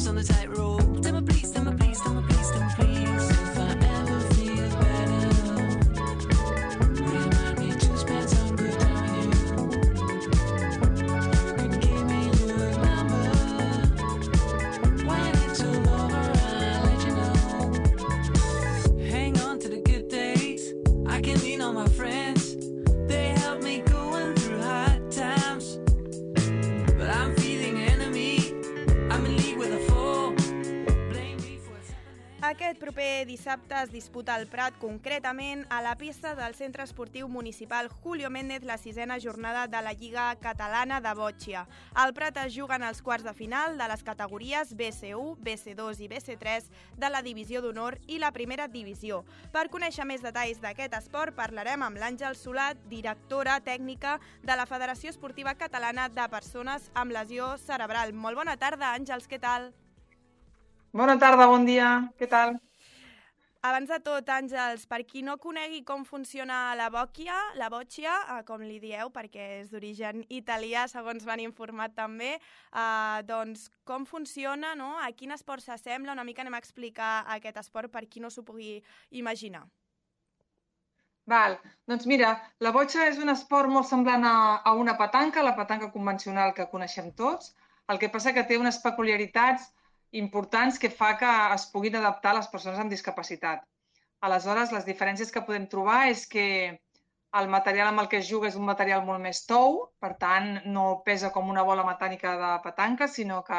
lost on the tightrope. Tell me please, tell me please, tell me please, tell me please. If I ever feel better, remind me to spend some good time with you. You can give me your number. When it's all over, I'll let you know. Hang on to the good days. I can lean on my friends. They help me going through hard times. But I'm feeling enemy. I'm in league with a foe. Blame me for what's happening. Aquest proper dissabte es disputa al Prat, concretament a la pista del Centre Esportiu Municipal Julio Méndez, la 6ª jornada de la Lliga Catalana de Bòtxia. Al Prat es juguen els quarts de final de les categories BC1, BC2 i BC3 de la Divisió d'Honor i la Primera Divisió. Per conèixer més detalls d'aquest esport parlarem amb l'Àngel Solat, directora tècnica de la Federació Esportiva Catalana de Persones amb Lesió Cerebral. Molt bona tarda, Àngels, què tal? Bona tarda, bon dia, què tal? Abans de tot, Àngels, per qui no conegui com funciona la bòtxia, com li dieu, perquè és d'origen italià, segons m'han informat també, doncs com funciona, no? A quin esport s'assembla? Una mica anem a explicar aquest esport per qui no s'ho pugui imaginar. Val, doncs mira, la botxa és un esport molt semblant a una petanca, la petanca convencional que coneixem tots. El que passa que té unes peculiaritats importants que fa que es puguin adaptar a les persones amb discapacitat. Aleshores, les diferències que podem trobar és que el material amb el que es juga és un material molt més tou, per tant, no pesa com una bola mecànica de petanca, sinó que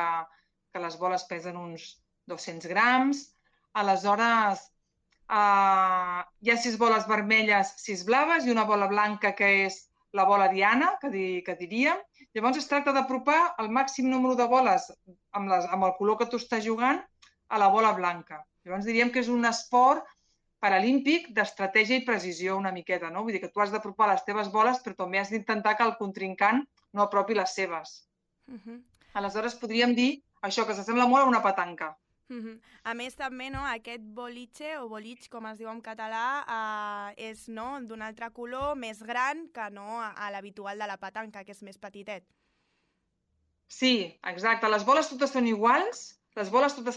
les boles pesen uns 200 grams. Aleshores, hi ha 6 boles vermelles, 6 blaves i una bola blanca que és la bola diana, que diríem. Llavors es tracta d'apropar el màxim número de boles amb el color que tu estàs jugant a la bola blanca. Llavors diríem que és un esport paralímpic d'estratègia i precisió una miqueta, no? Vull dir que tu has d'apropar les teves boles, però també has d'intentar que el contrincant no apropi les seves. Aleshores podríem dir això, que s'assembla molt a una petanca. A més, també, no, aquest boliche, o bolich, com es diu en català, és d'un altre color, més gran que no a l'habitual de la petanca, que és més petitet. Sí, exacte. Les boles totes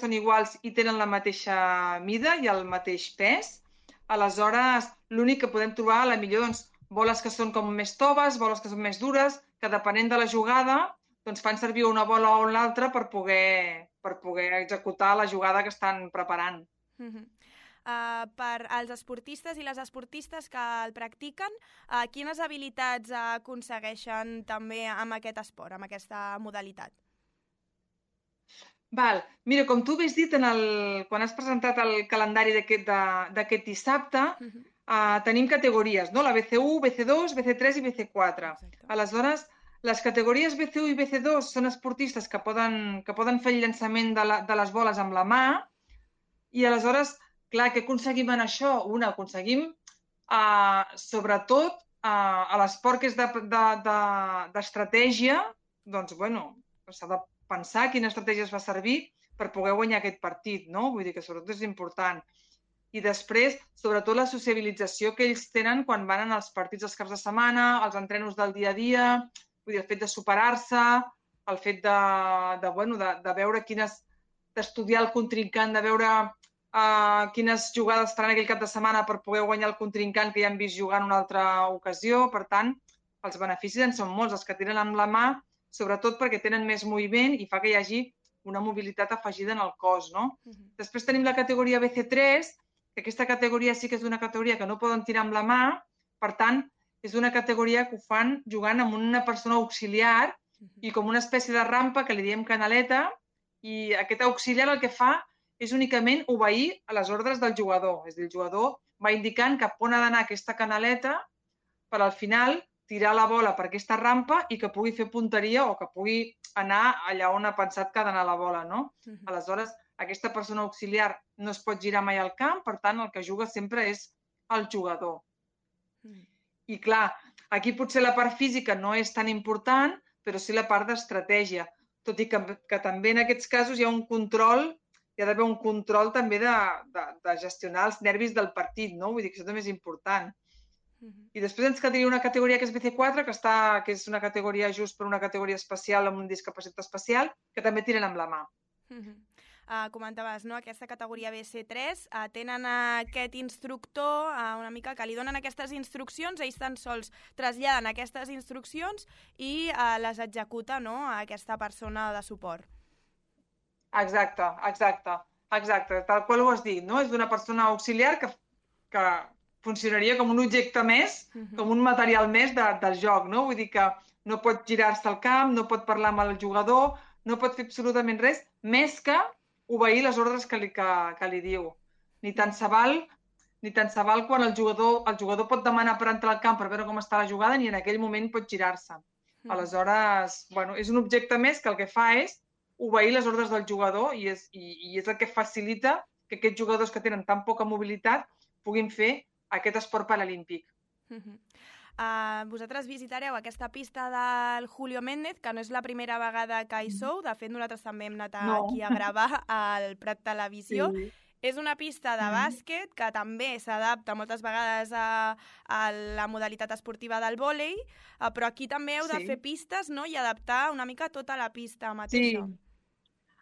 són iguals i tenen la mateixa mida i el mateix pes. Aleshores, l'únic que podem trobar, a la millor, doncs, boles que són com més toves, boles que són més dures, que depenent de la jugada, doncs fan servir una bola o l'altra per poder executar la jugada que estan preparant. Per als esportistes i les esportistes que el practiquen, quines habilitats aconsegueixen també amb aquest esport, amb aquesta modalitat? Val. Mira, com tu havies dit quan has presentat el calendari d'aquest dissabte, tenim categories, no? La BC1, BC2, BC3 i BC4. Aleshores, les categories BC1 i BC2 són esportistes que poden fer el llançament de les boles amb la mà i aleshores, clar, què aconseguim en això? Aconseguim, sobretot, a l'esport que és d'estratègia, doncs, bueno, s'ha de pensar quina estratègia es fa servir per poder guanyar aquest partit, no? Vull dir que sobretot és important. I després, sobretot, la sociabilització que ells tenen quan van als partits els caps de setmana, els entrenos del dia a dia, vull dir, el fet de superar-se, el fet de veure d'estudiar el contrincant, de veure quines jugades faran aquell cap de setmana per poder guanyar el contrincant que ja han vist jugar en una altra ocasió. Per tant, els beneficis en són molts. Els que tenen amb la mà, sobretot perquè tenen més moviment i fa que hi hagi una mobilitat afegida en el cos, no? Després tenim la categoria BC3, que aquesta categoria sí que és una categoria que no poden tirar amb la mà, per tant, és una categoria que ho fan jugant amb una persona auxiliar i com una espècie de rampa que li diem canaleta, i aquest auxiliar el que fa és únicament obeir a les ordres del jugador. És a dir, el jugador va indicant cap on ha d'anar aquesta canaleta per al final tirar la bola per aquesta rampa i que pugui fer punteria o que pugui anar allà on ha pensat que ha d'anar la bola, no? Aleshores, aquesta persona auxiliar no es pot girar mai al camp, per tant, el que juga sempre és el jugador. I clar, aquí potser la part física no és tan important, però sí la part d'estratègia. Tot i que també en aquests casos hi ha un control, hi ha d'haver un control també de gestionar els nervis del partit, no? Vull dir que això també és important. I després ens quedaria una categoria que és BC4, que és una categoria just per una categoria especial amb una discapacitat especial, que també tiren amb la mà. Comentaves, no?, aquesta categoria BC3, tenen aquest instructor una mica que li donen aquestes instruccions, ells tan sols traslladen aquestes instruccions i les executa, no?, a aquesta persona de suport. Exacte, tal qual ho has dit, no? És d'una persona auxiliar que funcionaria com un objecte més, com un material més del joc, no? Vull dir que no pot girar-se al camp, no pot parlar amb el jugador, no pot fer absolutament res, més que obeir les ordres que li diu. Ni tant se val quan el jugador pot demanar per entrar al camp per veure com està la jugada, ni en aquell moment pot girar-se. Aleshores, bueno, és un objecte més que el que fa és obeir les ordres del jugador i és el que facilita que aquests jugadors que tenen tan poca mobilitat puguin fer aquest esport paralímpic. Vosaltres visitareu aquesta pista del Julio Méndez, que no és la primera vegada que hi sou. De fet, nosaltres també hem anat aquí a gravar al Prat Televisió. Sí. És una pista de bàsquet que també s'adapta moltes vegades a la modalitat esportiva del vòlei, però aquí també heu de fer pistes, no?, i adaptar una mica tota la pista mateixa. Sí,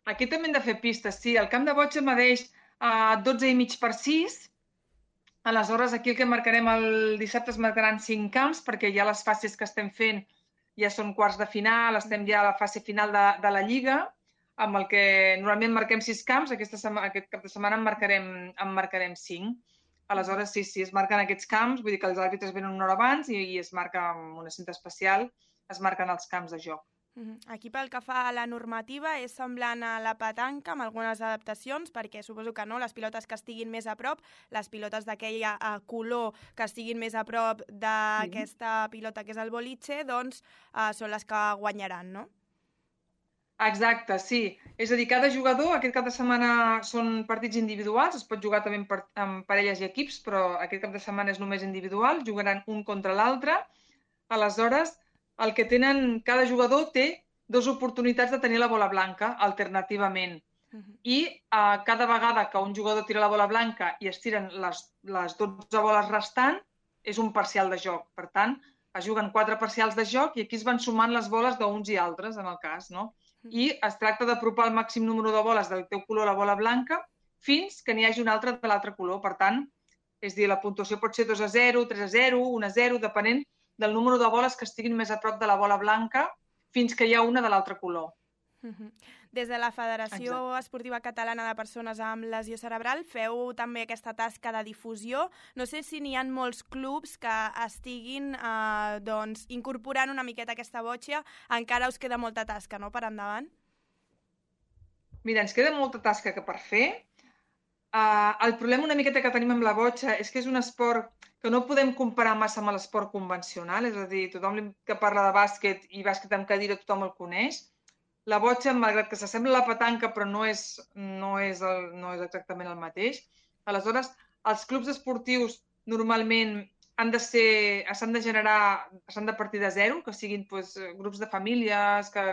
aquí també hem de fer pistes, sí. El camp de botxa medeix 12,5 per 6. Aleshores, aquí el que marcarem el dissabte es marcaran 5 camps, perquè ja les fases que estem fent ja són quarts de final, estem ja a la fase final de la Lliga, amb el que normalment marquem 6 camps, aquest cap de setmana en marcarem 5. Aleshores, sí, es marquen aquests camps, vull dir que els àrbitres venen una hora abans i es marca amb una cinta especial, es marquen els camps de joc. Aquí pel que fa a la normativa és semblant a la petanca amb algunes adaptacions, perquè suposo que no, les pilotes que estiguin més a prop, les pilotes d'aquell color que estiguin més a prop d'aquesta pilota que és el boliche, doncs són les que guanyaran, no? Exacte, sí. És a dir, cada jugador, aquest cap de setmana són partits individuals, es pot jugar també amb parelles i equips, però aquest cap de setmana és només individual, jugaran un contra l'altre. Aleshores, el que tenen, cada jugador té 2 oportunitats de tenir la bola blanca, alternativament. I cada vegada que un jugador tira la bola blanca i es tiren les 12 boles restant, és un parcial de joc. Per tant, es juguen 4 parcials de joc i aquí es van sumant les boles d'uns i altres, en el cas, no? I es tracta d'apropar el màxim número de boles del teu color a la bola blanca fins que n'hi hagi una altra de l'altre color. Per tant, és dir, la puntuació pot ser 2-0, 3-0, 1-0, depenent del número de boles que estiguin més a prop de la bola blanca fins que hi ha una de l'altre color. Des de la Federació Esportiva Catalana de Persones amb Lesió Cerebral feu també aquesta tasca de difusió. No sé si n'hi ha molts clubs que estiguin incorporant una miqueta aquesta botxa. Encara us queda molta tasca, no?, per endavant? Mira, ens queda molta tasca per fer. El problema una miqueta que tenim amb la botxa és que és un esport que no podem comparar massa amb l'esport convencional, és a dir, tothom que parla de bàsquet i bàsquet amb cadira tothom el coneix. La botxa, malgrat que s'assembla a la petanca, però no és exactament el mateix. Aleshores, els clubs esportius normalment s'han de partir de zero, que siguin grups de famílies que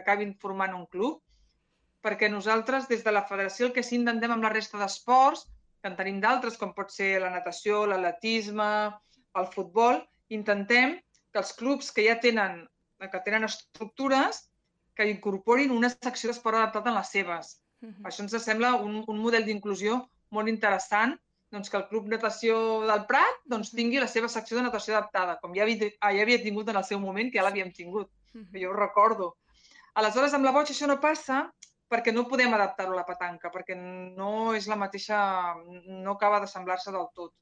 acabin formant un club, perquè nosaltres, des de la federació, el que sí intentem amb la resta d'esports, que en tenim d'altres, com pot ser la natació, l'atletisme, el futbol, intentem que els clubs que ja tenen estructures que incorporin una secció d'esport adaptat en les seves. Això ens sembla un model d'inclusió molt interessant, que el Club Natació del Prat tingui la seva secció de natació adaptada, com ja havia tingut en el seu moment, que ja l'havíem tingut, que jo ho recordo. Aleshores, amb la botxa això no passa perquè no podem adaptar-ho a la petanca, perquè no és la mateixa, no acaba d'assemblar-se del tot.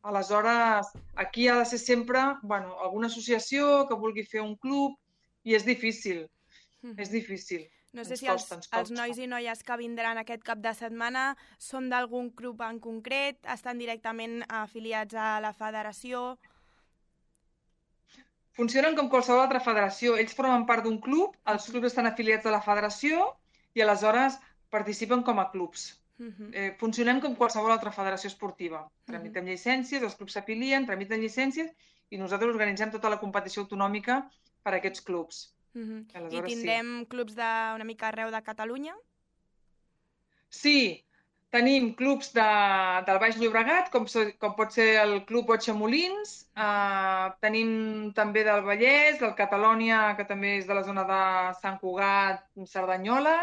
Aleshores, aquí ha de ser sempre alguna associació que vulgui fer un club i és difícil. És difícil. No sé si els nois i noies que vindran aquest cap de setmana són d'algun club en concret, estan directament afiliats a la federació? Funcionen com qualsevol altra federació. Ells formen part d'un club, els clubs estan afiliats a la federació i aleshores participen com a clubs. Funcionem com qualsevol altra federació esportiva. Tramitem llicències, els clubs s'afilien, tramiten llicències i nosaltres organitzem tota la competició autonòmica per a aquests clubs. I tindrem clubs una mica arreu de Catalunya? Sí, tenim clubs del Baix Llobregat, com pot ser el Club Botxa Molins, tenim també del Vallès, del Catalònia, que també és de la zona de Sant Cugat, Cerdanyola,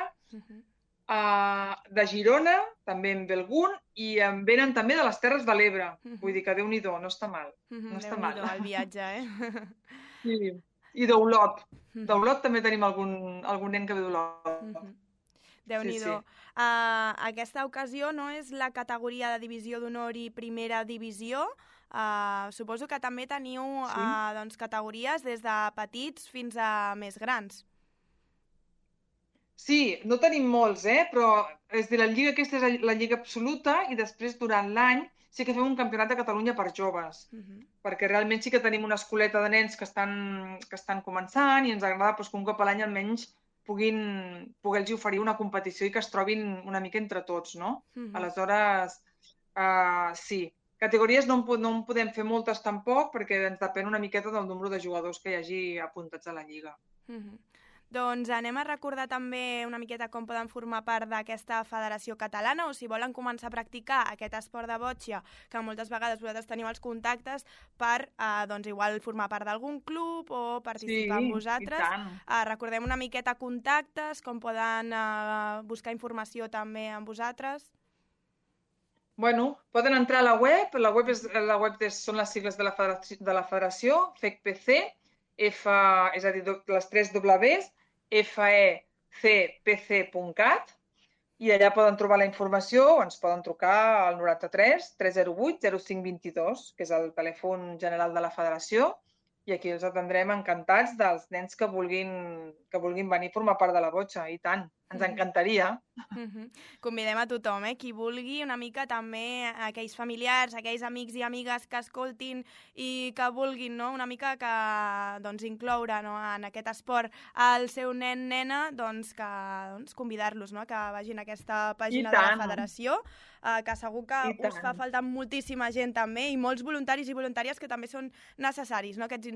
de Girona, també en ve algun, i en venen també de les Terres de l'Ebre. Vull dir que Déu-n'hi-do, no està mal. No està mal. Déu-n'hi-do, el viatge, Sí. I d'Olot. D'Olot també tenim algun nen que ve d'Olot. Déu-n'hi-do. Sí. Aquesta ocasió no és la categoria de divisió d'honor i primera divisió. Suposo que també teniu doncs, categories des de petits fins a més grans. Sí, no tenim molts, però és de la lliga, aquesta és la lliga absoluta, i després durant l'any sí que fem un campionat de Catalunya per joves, perquè realment sí que tenim una escoleta de nens que estan començant i ens agrada que un cop a l'any almenys poder-los oferir una competició i que es trobin una mica entre tots, no? Aleshores, sí. Categories no en podem fer moltes tampoc, perquè ens depèn una miqueta del nombre de jugadors que hi hagi apuntats a la lliga. Doncs anem a recordar també una miqueta com poden formar part d'aquesta federació catalana, o si volen començar a practicar aquest esport de bòtxia, que moltes vegades vosaltres teniu els contactes per, doncs, igual formar part d'algun club o participar amb vosaltres. I tant. Recordem una miqueta contactes, com poden buscar informació també amb vosaltres. Bueno, poden entrar a la web són les sigles de la federació, FECPC, és a dir, les 3 Ws, fecpc.cat, i allà poden trobar la informació o ens poden trucar al 93 308 0522, que és el telèfon general de la federació, i aquí els atendrem encantats dels nens que vulguin venir a formar part de la botxa, i tant, ens encantaria. Convidem a tothom, qui vulgui, una mica també aquells familiars, aquells amics i amigues que escoltin i que vulguin, no? Una mica que doncs, incloure, no? En aquest esport el seu nen, nena, doncs, convidar-los, no? Que vagin a aquesta pàgina de la federació, que segur que us fa falta moltíssima gent també, i molts voluntaris i voluntàries que també són necessaris, no? Aquests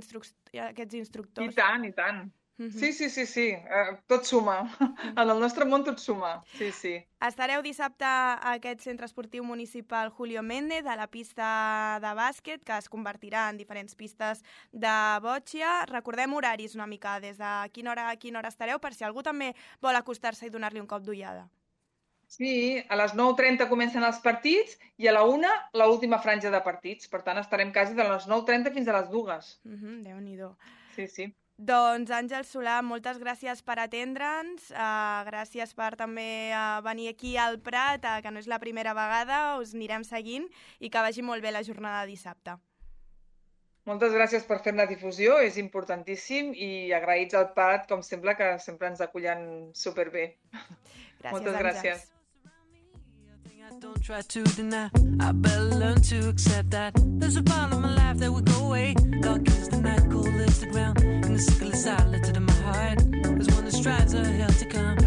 instructors. I tant, i tant. Sí. Tot suma. En el nostre món tot suma. Sí. Estareu dissabte a aquest centre esportiu municipal Julio Méndez, a la pista de bàsquet, que es convertirà en diferents pistes de bòtxia. Recordem horaris una mica, des de quina hora estareu, per si algú també vol acostar-se i donar-li un cop d'ullada. Sí, a les 9:30 comencen els partits i a la 1 l'última franja de partits. Per tant, estarem quasi de les 9:30 fins a les 2. Déu-n'hi-do. Sí. Doncs, Àngel Solà, moltes gràcies per atendre'ns, gràcies per també venir aquí al Prat, que no és la primera vegada, us anirem seguint i que vagi molt bé la jornada de dissabte. Moltes gràcies per fer la difusió, és importantíssim, i agraïts al Prat, com sempre, que sempre ens acullen superbé. Gràcies, moltes gràcies. Don't try to deny, I better learn to accept that there's a part of my life that will go away. Dark is the night, cold is the ground, and the sickle is silent in my heart. There's one that strives a hell to come.